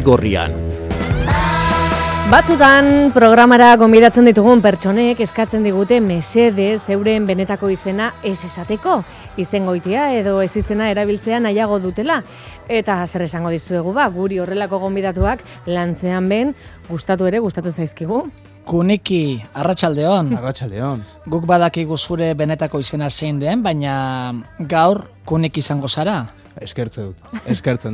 Zigorrian. Batzutan programara gonbidatzen ditugun pertsonek eskatzen digute mesedez euren benetako izena ez esateko. Izengoitia edo ez izena erabiltzea nahiago dutela. Eta zer esango dizuegu guri horrelako gonbidatuak lantzean ben gustatzen zaizkigu. Kuniki, arratsaldeon. Arratsaldeon. Guk badakigu zure benetako izena zein den, baina gaur Kuniki izango zara. Eskertzen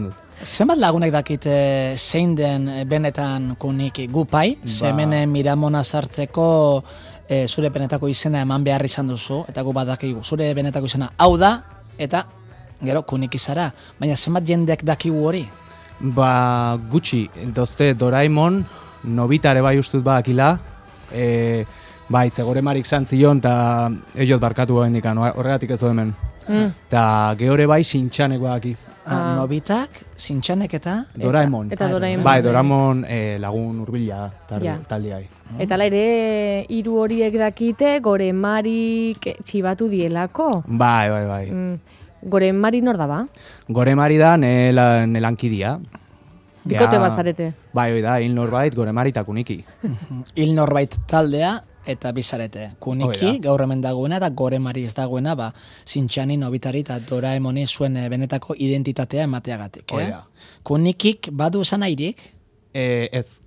dut. Zenbat lagunek dakite zein den benetan Kuniki? Gupai, zemene Miramona sartzeko zure benetako izena eman behar izan duzu, eta gu badakigu zure benetako izena hau da, eta gero Kuniki zara. Baina zenbat jendek dakigu hori? Gutxi, dozte Doraemon, Nobitare bai ustut badakila, bai, zegoremarik zantzion, eta eiot barkatu bendikan, horregatik ez du hemen. Eta gehore bai Sintxanek badakiz. Nobitak, Sintxanek eta? Doraemon. Eta Doraemon. Bai, Doraemon lagun hurbila taldeai. Eta ere, hiru horiek dakite, Goremarik txibatu dielako. Bai. Goremari nor da ba? Goremari da nelankidea. Bikote bazarete. Bai, hoi da, hil norbait, Goremari eta Kuniki. Hil norbait taldea eta bizarete. Kuniki gaur hemen dagoena eta Goremari ez dagoena, Sintxani, Nobitari eta Doraemoni zuen benetako identitatea emateagatik. Kunikik badu esan airik? Ez.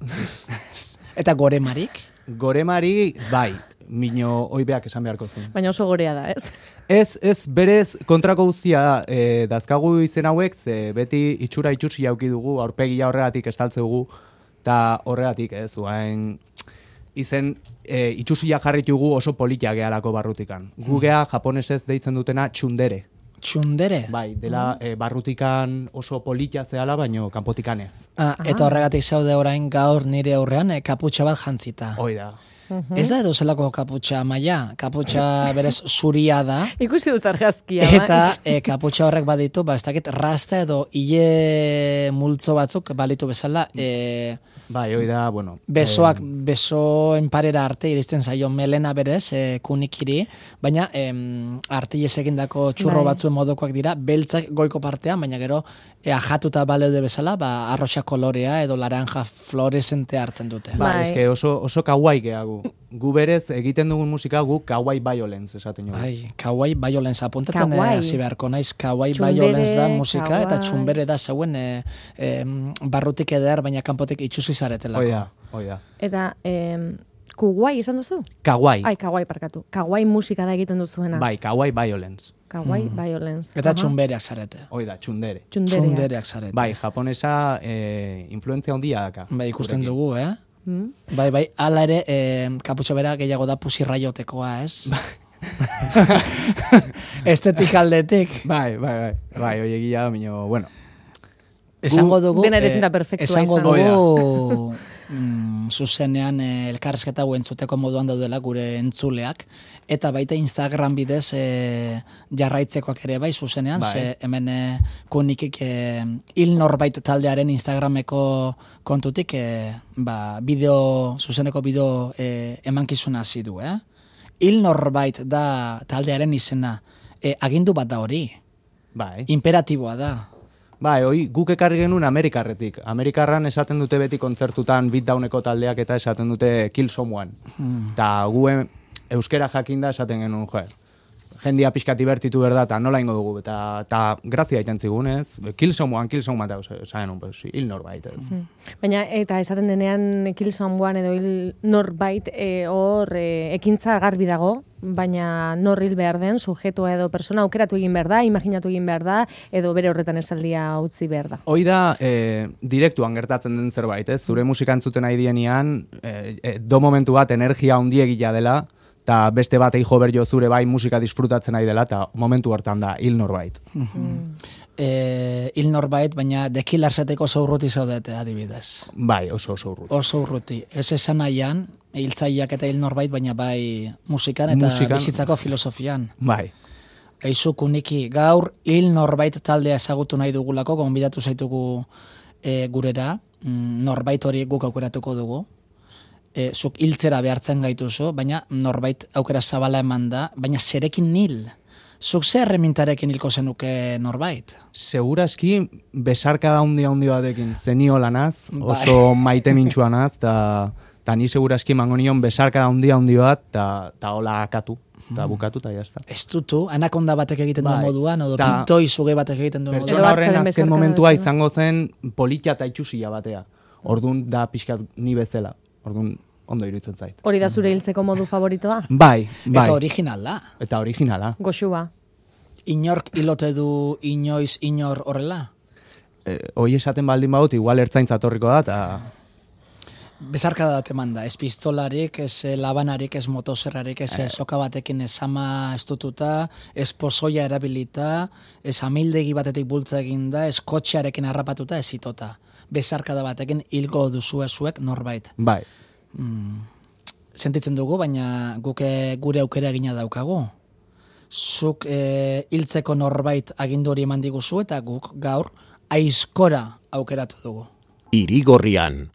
Eta Goremarik? Goremari, bai, mino oibeak esan beharko zuen. Baina oso gorea da, ez? Ez, berez kontrako guztia dazkagu izen hauek, ze beti itxura itxusi jauki dugu, aurpegia horregatik estaltze dugu, eta horregatik ez, izen itxusia jarritugu oso politia gehalako barrutikan. Gugea japonesez deitzen dutena txundere. Txundere? Bai, dela barrutikan oso politia zehala, baino kanpotikan ez. Eta horregatik zaude orain gaur nire aurrean kaputxa bat jantzita. Hoi da. Ez da edo zelako kaputxa maila, kaputxa berez zuria da. Ikusi dut argazkia. Eta kaputxa horrek baditu, ez dakit rasta edo hile multzo batzuk balitu bezala. Bai, hoi da, bueno. Besoen parera arte iristen zaio melena berez, Kunikiri, baina artilez egindako txurro batzuen modokoak dira, beltzak goiko partean, baina gero ajatuta baleude bezala, arroxa kolorea edo laranja fluorescente hartzen dute. Eske oso kawaii gehagu. Gu berez egiten dugun musika gu kawaii violence esaten dugu. Kawaii violence apuntatzen hasi beharko naiz, kawaii violence da musika eta txunbere da zeuen barrutik eder, baina kanpotik itxusi zaretelako. Hoi da. Eta kuguai esan duzu? Kawaii. Kawaii parkatu. Kawaii musika da egiten duzuena. Bai, kawaii violence. Kawaii violence. Eta txunbereak zarete. Hoi da, txundere. Txundereak zarete. Bai, japonesa influenzia handia daka. Bai, ikusten dugu, Bai, ala ere, kaputxo bera gehiago da pusirraiotekoa, ez? Estetik aldetik. Bai, hoi egia, minio, bueno. Esango dugu, dena ere zinta perfektua izan. Zuzenean elkarrezketa entzuteko moduan daudela gure entzuleak, eta baita Instagram bidez jarraitzekoak ere bai zuzenean, ze hemen Kunikik hil norbait taldearen Instagrameko kontutik zuzeneko bideo emankizuna hasi du, Hil norbait da taldearen izena, agindu bat da hori, imperatiboa da. Bai, guk ekarri genuen Amerikarretik. Amerikarran esaten dute beti kontzertutan beatdowneko taldeak eta esaten dute kill someone. Eta gu euskera jakinda esaten genuen, jendia pixkati bertitu berda, eta nola ingo dugu, eta grazia iten zigun, ez? Kill someone, eta esan hil norbait. Baina, eta esaten denean kill someone edo hil norbait hor ekintza garbi dago, baina nor hil behar den, sujetua edo persona aukeratu egin behar da, imaginatu egin behar da, edo bere horretan esaldia utzi behar da. Hoi da, direktuan gertatzen den zerbait, ez? Zure musika entzuten nahi dienean, do momentu bat energia handiegia dela, eta beste bat jo berjo zure bai musika disfrutatzen nahi dela, eta momentu hortan da hil norbait. Hil norbait, baina The Killerseteko oso urruti zaudete adibidez. Bai, oso urruti. Oso urruti. Ez esan nahian, hiltzaileak eta hil norbait, baina bai musikan eta bizitzako filosofian. Bai. Eizu Kuniki, gaur hil norbait taldea ezagutu nahi dugulako, gonbidatu zaitugu gurera, norbait hori guk aukeratuko dugu. Zuk hiltzera behartzen gaituzu, baina norbait aukera zabala eman da, baina zerekin nil. Zuk zer erremintarekin hilko zenuke norbait? Segurazki, besarkada handi batekin zenio lanaz, oso maite mintxuanaz, eta ni segurazki mango nion besarkada handi bat, eta hola akatu, eta bukatu, eta jazta. Ez dutu, anakonda batek egiten duen moduan, odo pintoi zuge batek egiten duen moduan. Pertsona horren azken momentua izango zen politia eta itxusia batea. Orduan da pixkat ni bezala. Orduan ondo iruditzen zait. Hori da zure hiltzeko modu favoritoa? Bai. Eta originala. Eta originala. Goxua. Inork ilote du inoiz inor horrela? Hoi esaten baldin badut, igual ertzaintza torriko da, eta... Bezarkada bat eman da, ez pistolarik, ez labanarik, ez motosierrarik, ez soka batekin ez ama estututa, ez pozoia erabilita, ez amildegi batetik bultza eginda, ez kotxearekin harrapatuta, ez itota. Bezarkada batekin hilgo duzue zuek norbait. Bai. Sentitzen dugu, baina guk gure aukera egina daukagu. Zuk hiltzeko norbait agindu hori eman diguzu eta guk gaur aizkora aukeratu dugu. Irigorrian.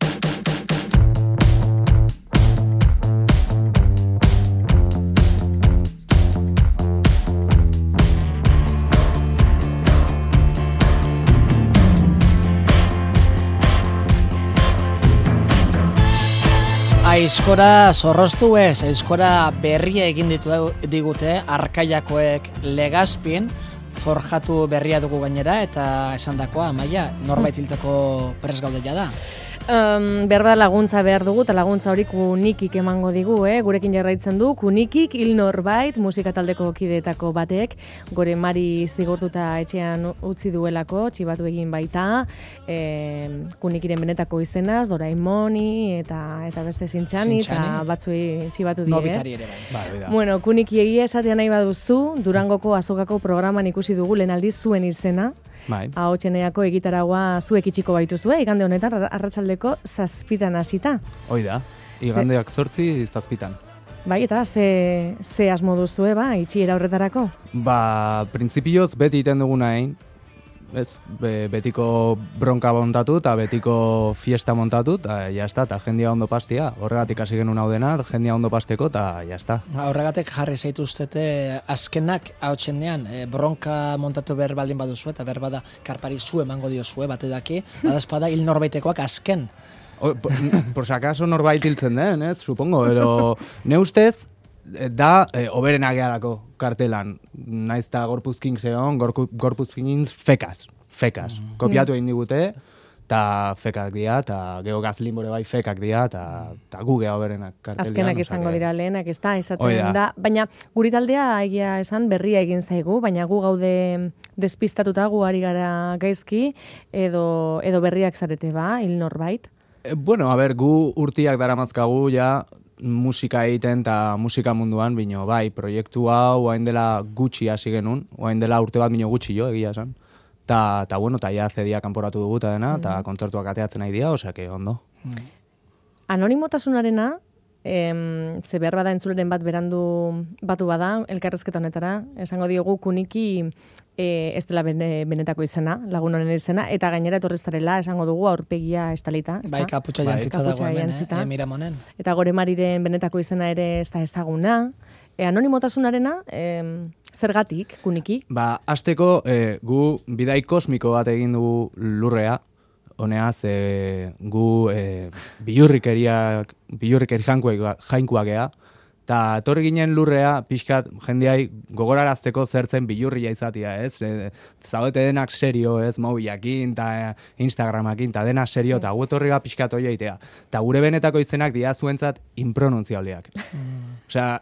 Aizkora zorroztu ez, aizkora berria egin digute Arkaiakoek Legazpin, forjatu berria dugu gainera, eta esandakoa, Amaia, norbait hiltzeko prest gaudeia da. Berba laguntza behar dugu, eta laguntza hori Kunikik emango digu, gurekin jarraitzen du, Kunikik hil norbait, musika taldeko kideetako batek, gore Mari zigortuta etxean utzi duelako, txibatu egin baita, Kunikiren benetako izenaz, Doraemoni, eta beste Zintxani, eta batzuei txibatu die. Nobitari ere bai. Bueno, Kuniki egia esatea nahi baduzu, Durangoko azokako programan ikusi dugu lehen aldiz zuen izena, Ahotxeneako egitaragua zuek itxiko baituzue, igande honetan arratsaldeko 7 hasita. Hoi da, igandeak 8 7. Bai, eta ze asmo duzue, itxiera horretarako? Printzipioz beti iten duguna egin, betiko bronka montatu eta betiko fiesta montatu, eta jazta, eta jendia ondo pastia. Horregatik hasi genuen hau dena, jendia ondo pasteko, eta jazta. Horregatik jarri zaituztete azkenak ahotsenean, bronka montatu behar baldin baduzu, eta behar bada karpari zu emango diozue, bate daki, badazpada hil norbaitekoak azken. Por si acaso norbait hiltzen den, supongo, pero ne ustez, da oberena geharako kartelan. Naiz eta gorpuzkin zeon, gorpuzkin fekaz. Kopiatu egin digute, eta fekak dira, eta geho gazlinbore bai fekak dira, eta gu geha oberenak kartelian. Azkenak izango dira lehenak, ez da, esaten da. Baina guri taldea egia esan berria egin zaigu, baina gu gaude despistatuta, gu ari gara gaizki, edo berriak zarete hil norbait. Bueno, gu urtiak daramazkagu ja, musika egiten eta musika munduan, bino bai, proiektu hau oain dela gutxi hasi genuen, oain dela urte bat bino gutxi jo, egia esan. Ta bueno, ta ja zedia kanporatu dugu eta dena, eta kontzertuak ateatzen nahi dira, osea que ondo. Anonimotasunarena, ze behar bada entzuleren bat berandu batu bada, elkarrezketa honetara, esango diogu Kuniki ez dela benetako izena, lagun honen izena, eta gainera etorrezarela esango dugu aurpegia estalita. Bai, kaputxa jantzita dago hemen, Miramonen. Eta gore Mariren benetako izena ere ez da ezaguna. Anonimotasunarena, zergatik, Kuniki? Hasteko gu bidai kosmiko bat egin dugu lurrea, honeaz, gu bilurrikeri jainkoak gea, eta etorri ginen lurrea, pixkat jendeai gogorarazteko zertzen bilurria izatea, ez? Zaudete denak serio, ez? Mobilakin, eta Instagramakin, eta denak serio, eta gu etorri pixkat hori eitea. Eta gure benetako izenak dira zuentzat impronunziableak. Osea,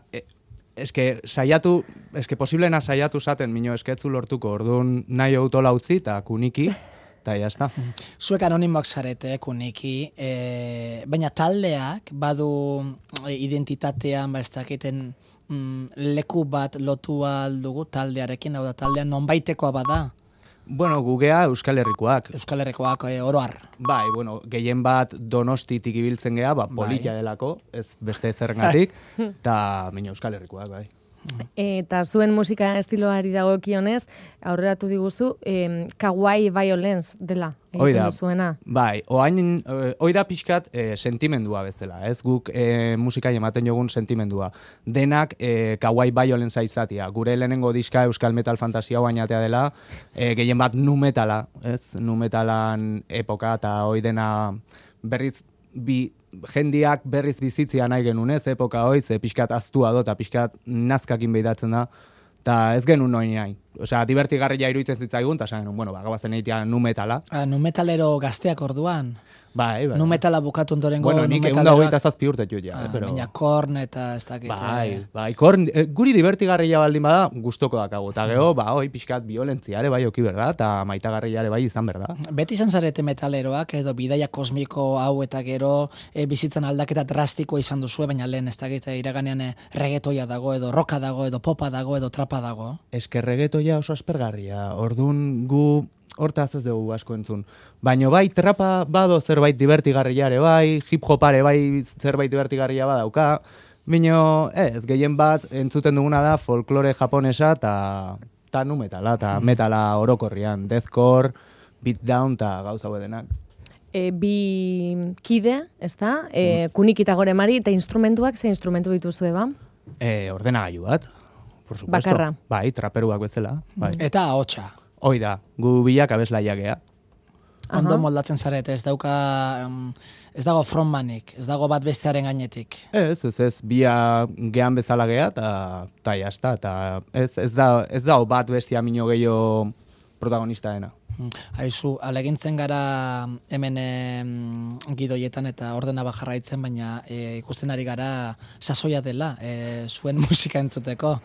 posiblena saiatu zaten, mino esketzu lortuko, orduan nahi autola utzi, eta Kuniki, eta jazta. Zuek anonimoak zarete, Kuniki, baina taldeak badu identitatean, ez dakiten leku bat lotu aldugu taldearekin, hau da taldean nonbaitekoa bada? Bueno, gugea Euskal Herrikoak. Euskal Herrikoak oroar. Bai, bueno, gehien bat Donostitik ibiltzen gea, politia delako, ez beste zerrengatik, eta mino Euskal Herrikoak, bai. Eta zuen musika estiloari dagokionez, aurreratu diguzu, kawaii violence dela. Oida, zuena. bai, oida pixkat sentimendua bezala, ez guk musikai ematen jogun sentimendua. Denak kawaii violence izatia. Gure lehenengo diska Euskal Metal Fantasia bainatea dela, gehien bat nu metala, ez? Nu metalan epoka eta oidena berriz jendiak berriz bizitzia nahi genuen, ez? Epoka hoi, ze pixkat aztua do, eta pixkat nazkakin behidatzen da. Eta ez genuen noin nahi. Osea, divertigarria iruditzen zitzaigun, eta esan genuen, bueno, gabazen egitea nu metala. Nu metalero gazteak orduan? Bai. Nu metala bukatu ondorengo bueno, nik 128 urte jut ja. Pero... Baina korn eta ez dakit. Bai, korn, guri divertigarria baldin bada, gustoko dakago. Eta geho, pixkat violentziare bai oki berda, eta maitagarriare bai izan berda. Beti izan zarete metaleroak, edo bidaia kosmiko hau eta gero bizitzan aldaketa drastikoa izan duzu, baina lehen ez dakit iraganean reggaetoia dago, edo roka dago, edo popa dago, edo trapa dago. Eske reggaetoia oso aspergarria, orduan gu... Hortaz ez dugu asko entzun. Baina bai, trapa bado zerbait divertigarriare bai, hip-hopare bai zerbait divertigarria badauka, baina ez, gehien bat entzuten duguna da folklore japonesa eta nu metala, eta metala orokorrian, deathcore, beatdown eta gauza denak. Bi kide, ez da? Kunik eta gore mari, eta instrumentuak, ze instrumentu dituzue ba? Ordenagailu bat, por supuesto. Bakarra. Bai, traperuak bezala. Bai. Eta ahotsa. Hoi da, gu bilak abeslaia gea. Ondo moldatzen zarete, ez dago frontmanik, ez dago bat bestearen gainetik. Ez, bia gean bezala gea, eta jazta, eta ez da bat bestia mino gehiago protagonista dena. Haizu, alegintzen gara hemen gidoietan eta ordena jarraitzen, baina ikusten ari gara sasoia dela zuen musika entzuteko.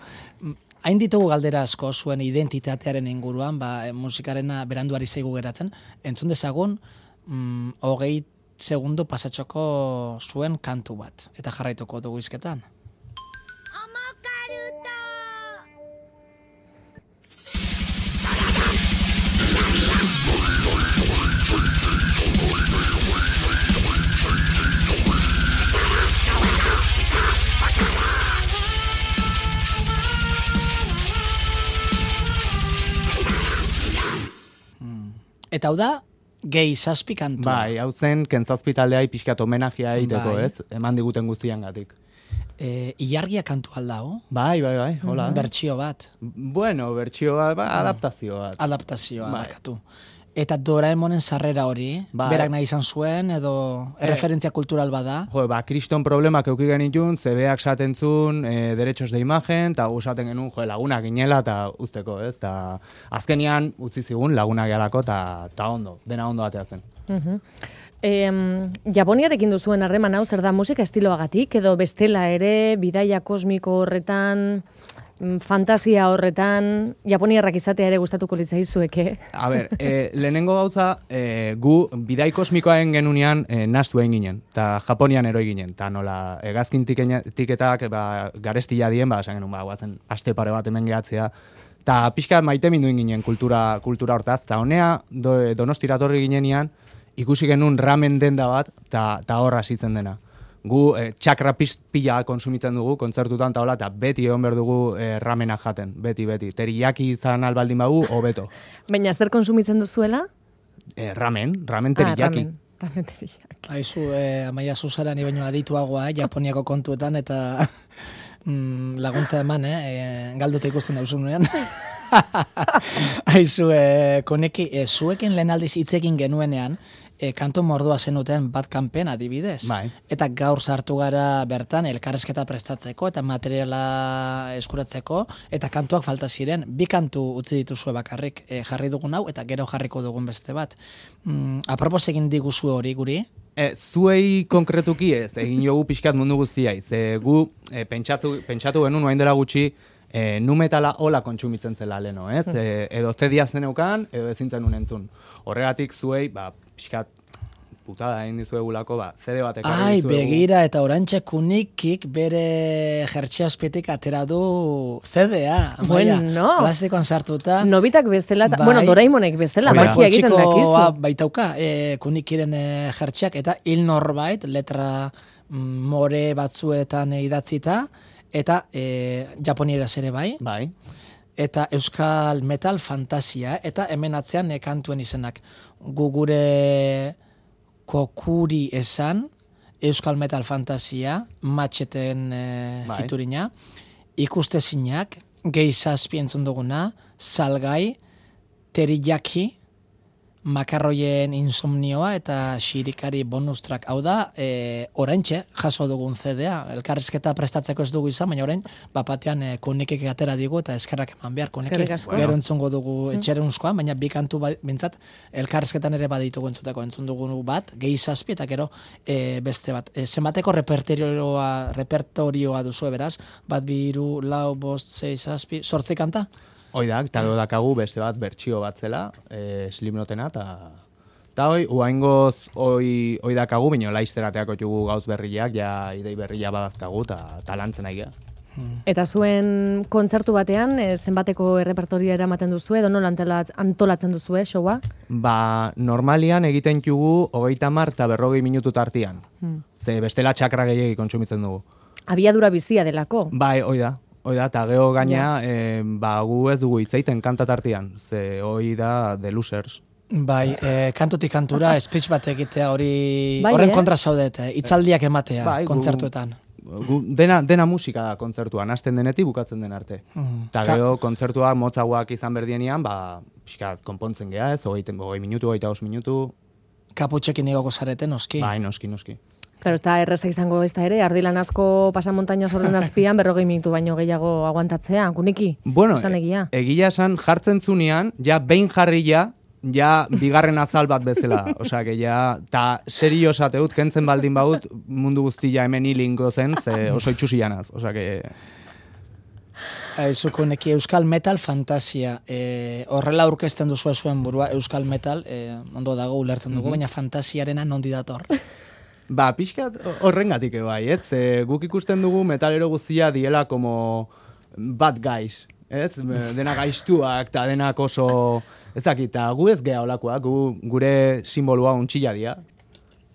Hain ditugu galdera asko zuen identitatearen inguruan, musikarena beranduari zaigu geratzen. Entzun dezagun, 20 segundo pasatxoko zuen kantu bat. Eta jarraituko dugu izketan. Eta hau da, gehi zazpi kantua. Bai, hau zen, kentzazpi taldea pixkat homenajea egiteko, ez? Eman diguten guztiangatik. Ilargia kantu aldao? Bai, hola. Bertsio bat. Bueno, bertsio bat, adaptazio bat. Adaptazioa, barkatu. Eta Doraemonen sarrera hori, berak nahi izan zuen, edo referentzia kultural bada? Kriston problemak euki genitun, zebeak satentzun, derechos de imagen, eta gusaten genuen, lagunak inela, eta usteko, ez? Ta azkenian, utzi zigun, lagunak gehalako, eta ondo, dena ondo batea zen. Japoniarekin duzuen harreman hau, zer da musika estiloagatik, edo bestela ere, bidaia kosmiko horretan... fantasia horretan, japoniarrak izatea ere gustatuko litzaizueke. A ber, lehenengo gauza, gu bidai kosmikoaen genunean nastu egin ginen, eta Japonian eroi ginen, eta nola, egazkin tiketak garestia dien, esan genuen, guazen, aste pare bat hemen gehatzea, eta pixka maite minduin ginen kultura hortaz, eta honea Donostira torri ginenean, ikusi genuen ramen denda bat, eta horra zitzen dena. Gu txakra pila konsumitzen dugu, kontzertutan eta beti egon behar dugu ramena jaten, beti. Teriyaki izan albaldin bagu, hobeto. Baina zer konsumitzen duzuela? Ramen teriyaki. Ramen teriyaki. Haizu, Amaia Zuzara ni baino adituagoa, Japoniako kontuetan, eta laguntza eman, galduta ikusten nauzunean. Haizu, koneki, zuekin lehen aldiz hitzekin genuenean, kantu mordua zenuten bat kanpen adibidez. Bai. Eta gaur sartu gara bertan elkarrezketa prestatzeko eta materiala eskuratzeko eta kantuak falta ziren. Bi kantu utzi dituzue bakarrik jarri dugun hau eta gero jarriko dugun beste bat. Apropos egin diguzu hori guri? Zuei konkretuki ez, egin jogu pixkat mundu guztiai. Gu pentsatu genuen oain dela gutxi nu metala hola kontsumitzen zela leno, ez? Edo zediaz deneukan, edo ezintzen unentzun. Horregatik zuei, pixkat putada egin dizuegulako, CD bat ekarri dizuegu. Begira, eta orantxe kunikik bere jertxeazpetik atera du CD-a. Bueno. Plastikoan sartuta. Nobitak bestela, bueno, Doraemonek bestela, makia egiten dakizu. Baitauka, kunikiren jertxeak, eta hil norbait, letra more batzuetan idatzita, eta japonieraz ere bai. Bai. Eta euskal metal fantasia, eta hemen atzean kantuen izenak. Gu gure kokuri esan, euskal metal fantasia, matxeten fiturina, ikustezinak, gehi zazpi entzun duguna, salgai, teriyaki, makarroien insomnioa eta xirikari bonus track. Hau da, oraintxe jaso dugun CD-a, elkarrizketa prestatzeko ez dugu izan, baina orain, bapatean konikek atera digu eta eskerrak eman behar konikek. Gero entzungo dugu etxerunzkoa, baina bi kantu bintzat elkarrizketan ere baditugu entzun dugu bat, gehi zazpi eta gero beste bat. Zenbateko repertorioa duzu beraz, bat, bi, hiru, lau, bost, sei, zazpi, 8 kanta? Oidak, eta gero dakagu beste bat bertsio bat zela, Slipknotena, eta uaingoz oi dakagu, bino laizterateako jugu gauz berriak, ja idei berria badazkagu, eta lantzen nahi geha. Eta zuen kontzertu batean, zenbateko errepertoria eramaten duzu, edo nola antolatzen duzu, showa? Ba, normalian egiten jugu 30 eta 40 minutu tartian. Ze bestela txakra gehiagi kontsumitzen dugu. Abiadura bizia delako. Bai, oida, eta geho gaina, gu ez dugu hitzeiten kantatartian, ze hoi da The Losers. Bai, kantutik kantura, speech bat egitea horren kontra zaudet, hitzaldiak ematea kontzertuetan. Dena musika da kontzertuan, hasten denetik bukatzen den arte. Eta geho kontzertuak motzagoak izan berdienean, pixkat konpontzen geha ez, 20 minutu, 25 minutu. Kaputxekin igoko zarete, noski? Bai, noski. Claro, ez da erreza izango ez da ere, ardilan asko pasamontaina zorren azpian 40 minutu baino gehiago aguantatzea, kuniki? Bueno, egia esan jartzen zunean, ja behin jarria, ja bigarren azal bat bezala. Osea, que ja, ta serio esateut, kentzen baldin baut, mundu guztia hemen hilingo zen, ze oso itxusianaz. Osea, que... Aizuko neki euskal metal fantasia. Horrela aurkezten duzu zuen burua, euskal metal, ondo dago ulertzen dugu, baina fantasiarena nondi dator. Ba, pixkat horrengatik bai, ez? Guk ikusten dugu metalero guztia diela como bad guys, ez? Dena gaiztuak eta denak oso... Ez dakit, eta gu ez geha olakoak, gure simbolua untxilla dia.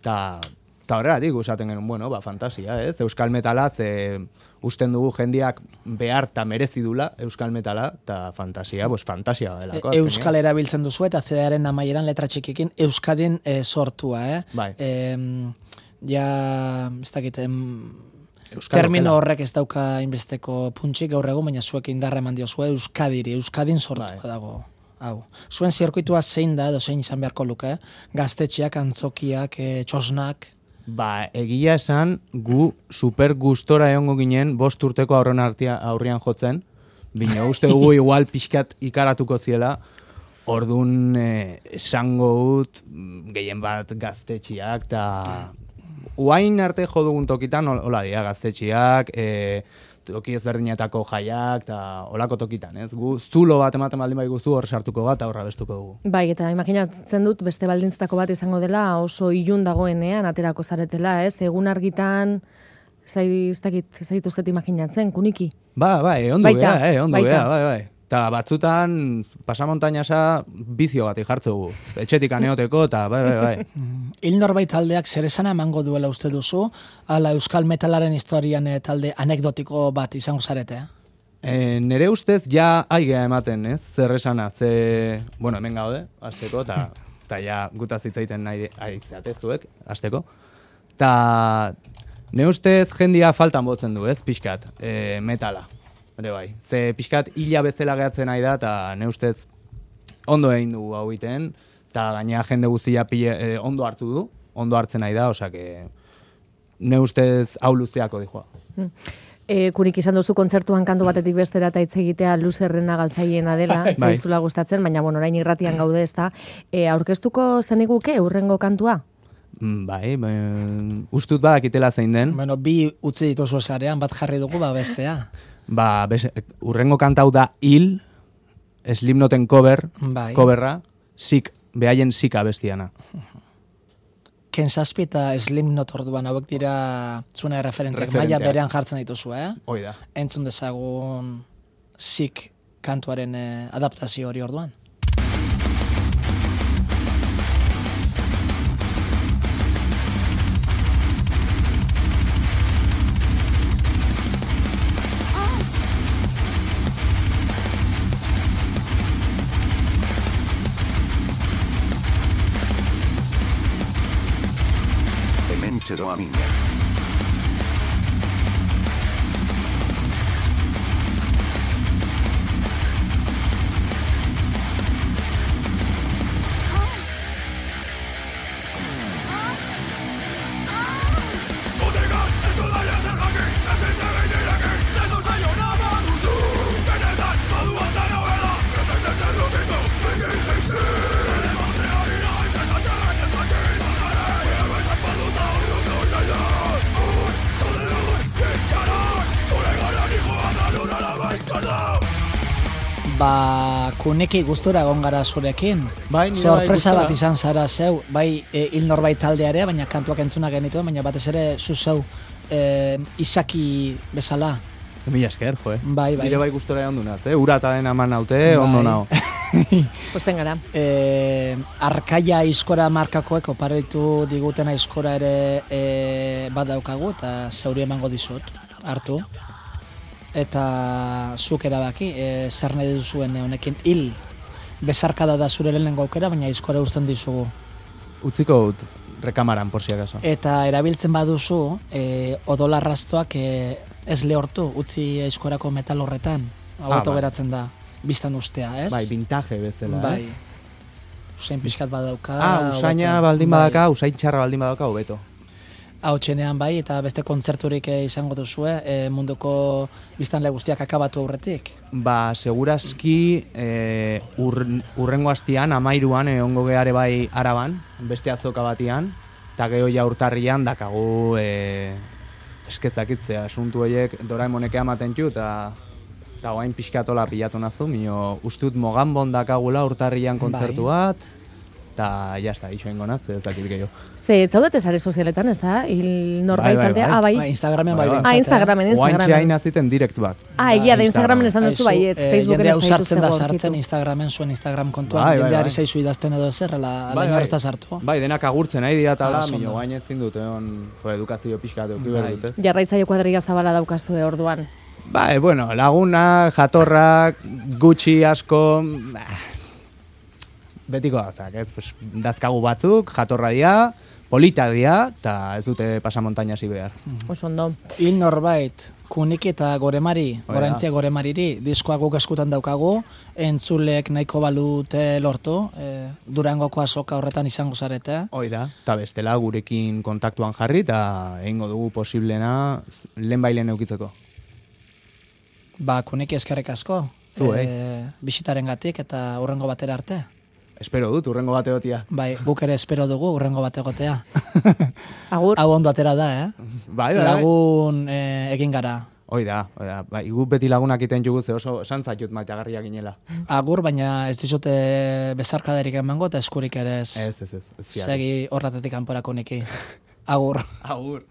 Eta horregatik usaten genuen, bueno, fantasia, ez? Euskal metala, usten dugu jendiak behar eta merezi dula euskal metala, eta fantasia, fantasia delako. Euskal erabiltzen duzu eta CD-aren amaieran letra txikikin Euskadin sortua, Bai. Ja, ez dakit, termino horrek ez dauka inbesteko puntxik gaur egun, baina zuek indarra eman diozue Euskadin sortua dago. Hau. Zuen zirkuitua zein da, edo zein izan beharko luke, gaztetxeak, antzokiak, txosnak? Ba, egia esan, gu super gustora egongo ginen 5 urteko aurrian jotzen, bino uste dugu igual pixkat ikaratuko ziela, orduan esango ut, gehien bat gaztetxeak, eta uain arte jo dugun tokitan, hola dia, gaztetxeak, toki ezberdinetako jaiak, eta olako tokitan, ez? Gu zulo bat ematen baldin bai guztu hor sartuko bat, aurra bestuko dugu. Bai, eta imaginatzen dut beste baldintzatako bat izango dela, oso ilun dagoenean aterako zaretela, ez? Egun argitan, ez dituztet imaginatzen, kuniki? Bai, ondo gea, bai. Eta batzutan, pasamontainasa bizio bat jartzeugu. Etxetik aneoteko, eta bai. Hil norbait taldeak zer esana emango duela uste duzu, ala euskal metalaren historian talde anekdotiko bat izango zarete? Nere ustez ja aigea ematen, ez? Zer esana, bueno, hemen gaude, azteko, eta ja gutaz hitzaiten nahi aizeatezuek, azteko. Eta nire ustez jendia faltan botzen du, ez? Pixkat, metala. Ere bai, ze pixkat hila bezala gehatzen nahi da, eta ne ustez ondo egin dugu hau iten, eta gainera jende guztia ondo hartu du, ondo hartzen nahi da, osea que ne ustez hau luzeako dijoa. Kurik izan duzu kontzertuan kantu batetik bestera eta hitz egitea luzerrena galtzaiena dela, zaizula gustatzen, baina bueno, orain irratian gaude ezta. Aurkeztuko zeniguke urrengo kantua? Bai, ustut badakitela zein den. Bueno, bi utzi dituzu esarean, bat jarri dugu, bestea. Urrengo kantau da Hil, Slipknoten coverra, behaien Sika bestiana. Ken Zazpi eta Slipknot orduan hauek dira zune referentziak maila berean jartzen dituzu, Hoi da. Entzun dezagun Sik kantuaren adaptazio hori orduan. Domingo. Kuniki gustura egon gara zurekin. Bai, nire sorpresa bai bat izan zara zeu, bai hil norbait taldea ere, baina kantuak entzuna genituen, baina batez ere zu zeu izaki bezala. Mila esker, jo, Bai. Nire bai gustora egon dunat, ura eta den aman naute, ondo nao. Posten gara. Arkaia aizkora markakoek oparitu diguten aizkora ere badaukagu, eta zeuri emango dizut, hartu. Eta zuk erabaki, zer nahi duzuen honekin hil bezarkada da zure lehenengo aukera, baina aizkora uzten dizugu. Utziko dut, rekamaran, por si acaso. Eta erabiltzen baduzu, odolarraztoak ez lehortu, utzi aizkorako metal horretan, hau geratzen da, biztan ustea, ez? Bai, vintage bezala, bai. Usain pixkat badauka. Usaina baldin badaka, usain txarra baldin badauka, hobeto. Hau txenean bai, eta beste kontzerturik izango duzue, munduko biztanle guztiak akabatu aurretik? Ba, segurazki urrengo hastian, 13an, ongo geare bai Araban, beste azoka batian, eta geho ja urtarrian dakagu eskezakitzea, asuntu horiek Doraemonek ematen txu, eta guain pixkatola pilatu nazu, mino ustut Moganbon dakagula urtarrian kontzertu bat, eta jazta, iso ingo naz, ez dakit gehiago. Ze, zaudet sare sozialetan, ez da? Hil norbait taldea? Bai. Instagramen bai. Instagramen. Oantxe hain aziten direkt bat. Egia da, Instagramen esan duzu bai, Facebooken ez da sartzen da sartzen Instagramen, zuen Instagram kontuan, jendeari zaizu idazten edo zer, laino ez da sartu. Bai, denak agurtzen nahi dira eta mino guain ezin dut, edukazio pixka dut dut. Jarraitzaio kuadrilla zabala daukazu orduan. Bai, bueno, lagunak, jatorrak, gutxi asko, betiko gauzak, ez? Pues, dazkagu batzuk, jatorra dira, polita dira, eta ez dute pasamontainasi behar. Oso ondo. Hil norbait, Kuniki eta Goremari, Gorantzia Goremariri, diskoak guk eskutan daukagu, entzulek nahiko balute lortu, Durangoko azoka horretan izango zarete. Hoi da, eta bestela gurekin kontaktuan jarri, eta egingo dugu posiblena lehenbailen eukitzeko. Ba, Kuniki eskerrik asko, bisitaren gatik eta hurrengo batera arte. Espero dut, hurrengo bate gotia. Bai, guk ere espero dugu hurrengo bate gotea. Agur. Hau ondo atera da, Bai. Lagun egin gara. Hoi da. Bai, guk beti lagunak iten jugu ze oso santzatut maitagarriak ginela. Agur, baina ez dizute bezarkadarik emango eta eskurik ere ez. Ez. Segi horratetik kanporako niki. Agur. Agur.